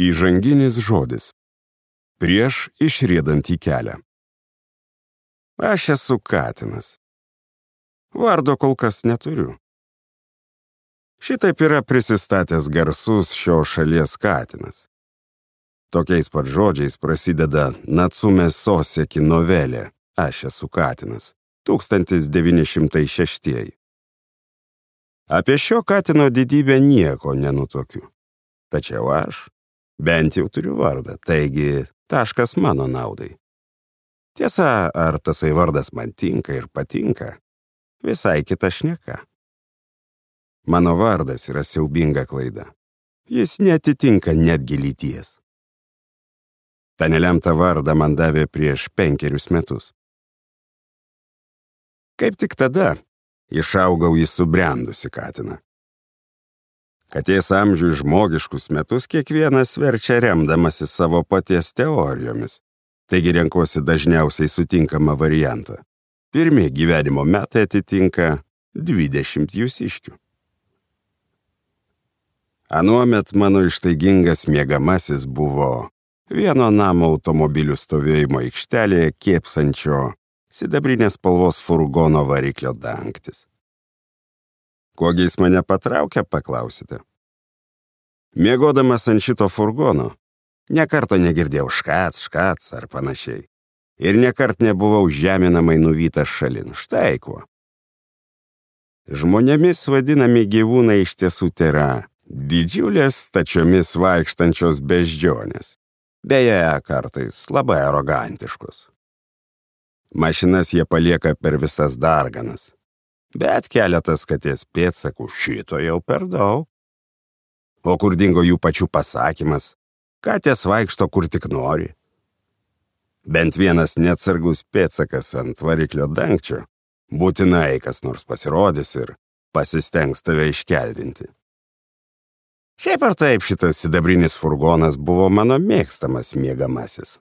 Įžanginis žodis. Prieš išriedant į kelią. Aš esu katinas. Vardo kol kas neturiu. Šitaip yra prisistatęs garsus šio šalies katinas. Tokiais pat žodžiais prasideda Natsume Soseki novelė Aš esu katinas, 1906. Apie šio katino didybę nieko nenutuokiu. Tačiau aš bent jau turiu vardą, taigi taškas mano naudai. Tiesa, ar tasai vardas man tinka ir patinka, visai kita šneka. Mano vardas yra siaubinga klaida. Jis neatitinka netgi lyties. Ta nelemta vardą man davė prieš 5 metus. Kaip tik tada išaugau į subrendusi katiną. Katės amžių žmogiškus metus kiekvienas verčia remdamasi savo paties teorijomis, taigi renkuosi dažniausiai sutinkamą variantą. Pirmi gyvenimo metai atitinka 20 jūsiškių. Anuomet mano ištaigingas miegamasis buvo vieno namo automobilių stovėjimo aikštelėje kėpsančio sidabrinės spalvos furgono variklio dangtis. Kuogi jis mane patraukia, paklausite? Miegodamas ant šito furgono, nekarto negirdėjau škac ar panašiai. Ir nekart nebuvau žeminamai nuvytas šalin. Štai kuo. Žmonėmis vadinami gyvūnai iš tiesų tėra didžiulės stačiomis vaikštančios beždžionės. Beje, kartais labai arogantiškos. Mašinas jie palieka per visas darganas. Bet keletas katės pėdsakų šito jau per daug. O kur dingo jų pačių pasakymas, katės vaikšto kur tik nori. Bent vienas neatsargus pėdsakas ant variklio dangčio, būtinai kas nors pasirodys ir pasistengs tave iškeldinti. Šiaip ar taip šitas sidabrinis furgonas buvo mano mėgstamas miegamasis.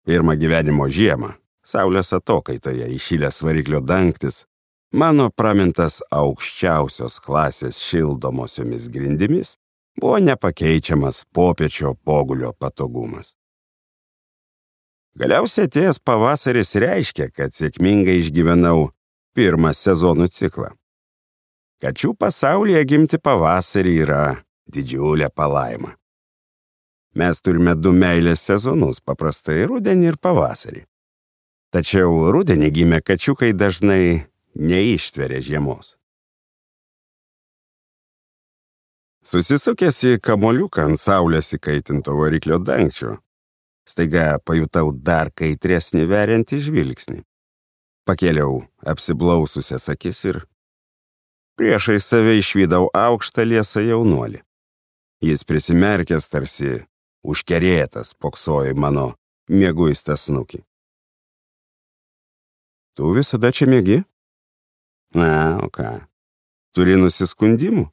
Pirmą gyvenimo žiemą, saulės atokaitoje įšilęs variklio dangtis, mano pramintas aukščiausios klasės šildomosiomis grindimis buvo nepakeičiamas popiečio pogulio patogumas. Galiausiai atėjęs pavasaris reiškia, kad sėkmingai išgyvenau pirmą sezonų ciklą. Kačių pasaulyje gimti pavasarį yra didžiulė palaima. Mes turime 2 meilės sezonus, paprastai rudenį ir pavasarį. Tačiau rudenį gimę kačiukai dažnai neištveria žiemos. Susisukęs į kamoliuką ant saulės įkaitinto variklio dangčio, staiga pajutau dar kaitresnį veriantį žvilgsnį. Pakėliau apsiblaususias akis ir priešai save išvydau aukštą liesą jaunuolį. Jis prisimerkęs tarsi užkerėtas poksojo į mano mieguistą snukį. Tu visada čia miegi? Na, o ką? Turi nusiskundimų?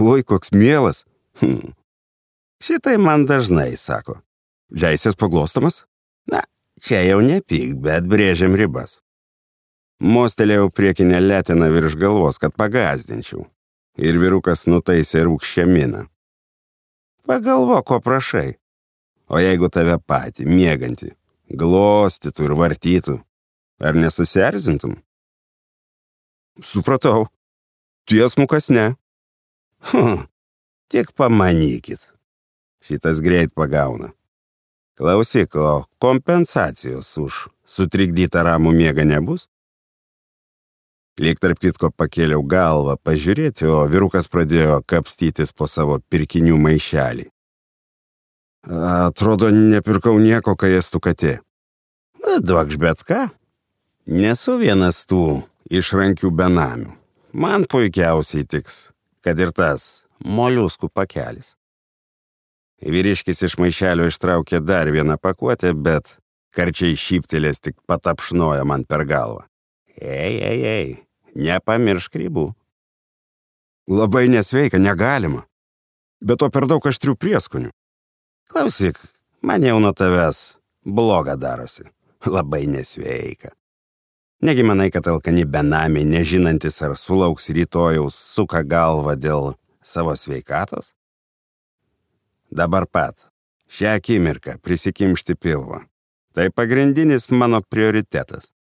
Oi, koks mielas. Šitai man dažnai sako. Leisies paglostomas? Na, čia jau nepyk, bet brėžiam ribas. Mostelėjau priekinę letiną virš galvos, kad pagazdinčiau. Ir vyrukas nutaisė rūgščią miną. Pagalvok, ko prašai. O jeigu tave patį, miegantį, glostytų ir vartytų, ar nesusierzintum? Supratau. Tiesmukas ne. Tik pamanykit. Šitas greit pagauna. Klausyk, o kompensacijos už sutrikdytą ramų miegą nebus? Lyg tarp kitko pakėliau galvą pažiūrėti, o vyrukas pradėjo kapstytis po savo pirkinių maišelį. Atrodo, nepirkau nieko, kai ėstų katė. Duokš bet ką. Nesu vienas tų išrankių benamių. Man puikiausiai tiks, kad ir tas moliuskų pakelis. Vyriškis iš maišelio ištraukė dar vieną pakuotę, bet karčiai šyptelės tik patapšnojo man per galvą. Ei, nepamiršk ribų. Labai nesveika, negalima. Bet to per daug aštrių prieskonių. Klausyk, man jau nuo tavęs bloga darosi. Labai nesveika. Negi manai, kad alkani benamiai, nežinantis ar sulauks rytojaus, suka galvą dėl savo sveikatos? Dabar pat Šią akimirką prisikimšti pilvą. Tai pagrindinis mano prioritetas.